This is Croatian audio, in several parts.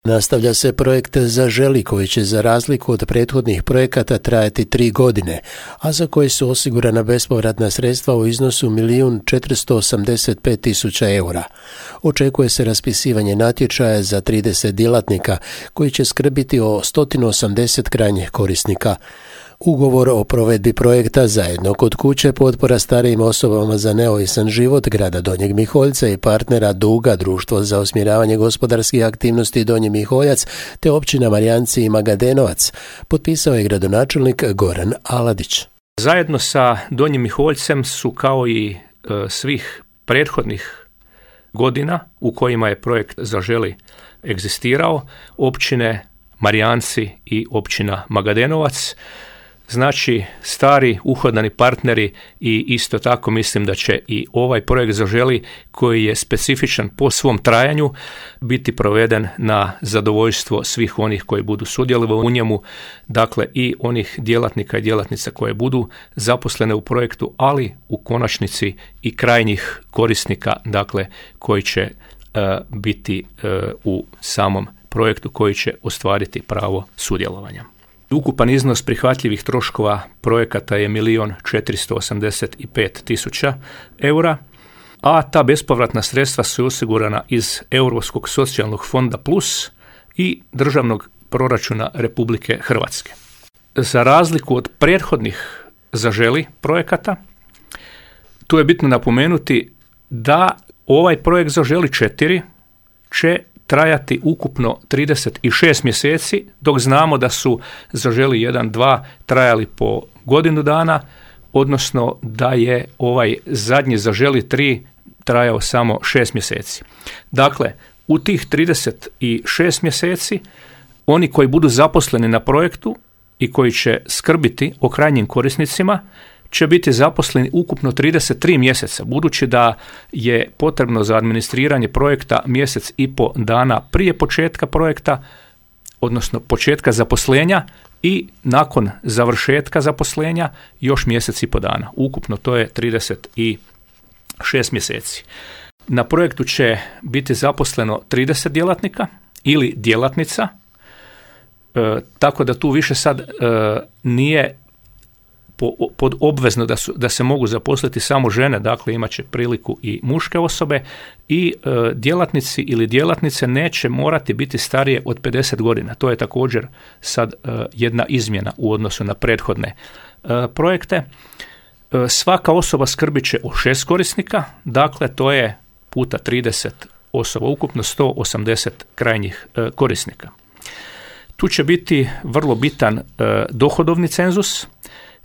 Nastavlja se projekt Zaželi koji će za razliku od prethodnih projekata trajati 3 godine, a za koji su osigurana bespovratna sredstva u iznosu 1.485.000 eura. Očekuje se raspisivanje natječaja za 30 djelatnika koji će skrbiti o 180 krajnjih korisnika. Ugovor o provedbi projekta Zajedno kod kuće, potpora starijim osobama za neovisan život grada Donjeg Miholjca i partnera Duga, Društvo za usmjeravanje gospodarskih aktivnosti Donji Miholjac, te općina Marijanci i Magadenovac, potpisao je gradonačelnik Goran Aladić. Zajedno sa Donjim Miholjcem su, kao i svih prethodnih godina u kojima je projekt Zaželi egzistirao, općine Marijanci i općina Magadenovac, znači stari uhodani partneri, i isto tako mislim da će i ovaj projekt Zaželi, koji je specifičan po svom trajanju, biti proveden na zadovoljstvo svih onih koji budu sudjelovali u njemu, dakle i onih djelatnika i djelatnica koje budu zaposlene u projektu, ali u konačnici i krajnjih korisnika, dakle koji će biti u samom projektu, koji će ostvariti pravo sudjelovanja. Ukupan iznos prihvatljivih troškova projekata je 1.485.000 eura, a ta bespovratna sredstva su osigurana iz Europskog socijalnog fonda plus i državnog proračuna Republike Hrvatske. Za razliku od prethodnih Zaželi projekata, tu je bitno napomenuti da ovaj projekt Zaželi 4 će trajati ukupno 36 mjeseci, dok znamo da su Zaželi 1, 2 trajali po godinu dana, odnosno da je ovaj zadnji Zaželi 3 trajao samo 6 mjeseci. Dakle, u tih 36 mjeseci oni koji budu zaposleni na projektu i koji će skrbiti o krajnjim korisnicima će biti zaposleni ukupno 33 mjeseca, budući da je potrebno za administriranje projekta mjesec i po dana prije početka projekta, odnosno početka zaposlenja, i nakon završetka zaposlenja još mjesec i po dana. Ukupno to je 36 mjeseci. Na projektu će biti zaposleno 30 djelatnika ili djelatnica, tako da tu više sad nije pod obvezno da se mogu zaposliti samo žene, dakle imat će priliku i muške osobe, i djelatnici ili djelatnice neće morati biti starije od 50 godina. To je također sad jedna izmjena u odnosu na prethodne projekte. Svaka osoba skrbit će o 6 korisnika, dakle to je puta 30 osoba, ukupno 180 krajnjih korisnika. Tu će biti vrlo bitan dohodovni cenzus,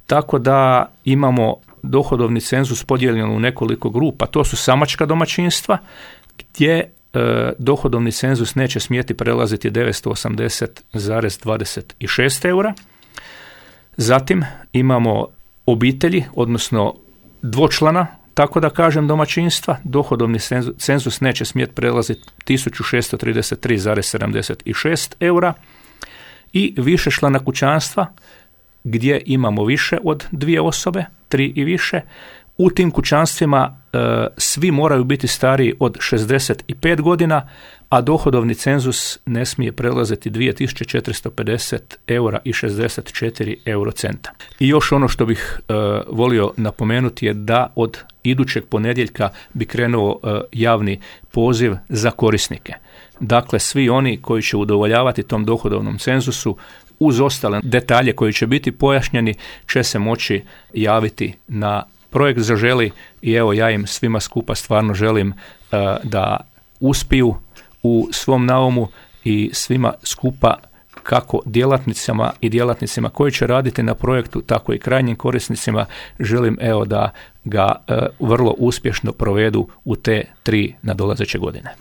tako da imamo dohodovni cenzus podijeljen u nekoliko grupa. To su samačka domaćinstva, gdje dohodovni cenzus neće smjeti prelaziti 980,26 eura. Zatim imamo obitelji, odnosno dvočlana, tako da kažem, domaćinstva. Dohodovni cenzus neće smjeti prelaziti 1633,76 eura. I višečlana kućanstva, gdje imamo više od 2 osobe, 3 i više. U tim kućanstvima svi moraju biti stariji od 65 godina, a dohodovni cenzus ne smije prelaziti 2.450 eura i 64 eurocenta. I još ono što bih volio napomenuti je da od idućeg ponedjeljka bi krenuo javni poziv za korisnike. Dakle, svi oni koji će udovoljavati tom dohodovnom cenzusu, uz ostale detalje koji će biti pojašnjeni, će se moći javiti na projekt Zaželi, i evo ja im svima skupa stvarno želim da uspiju u svom naumu, i svima skupa, kako djelatnicama i djelatnicima koji će raditi na projektu, tako i krajnjim korisnicima, želim da ga vrlo uspješno provedu u te 3 nadolazeće godine.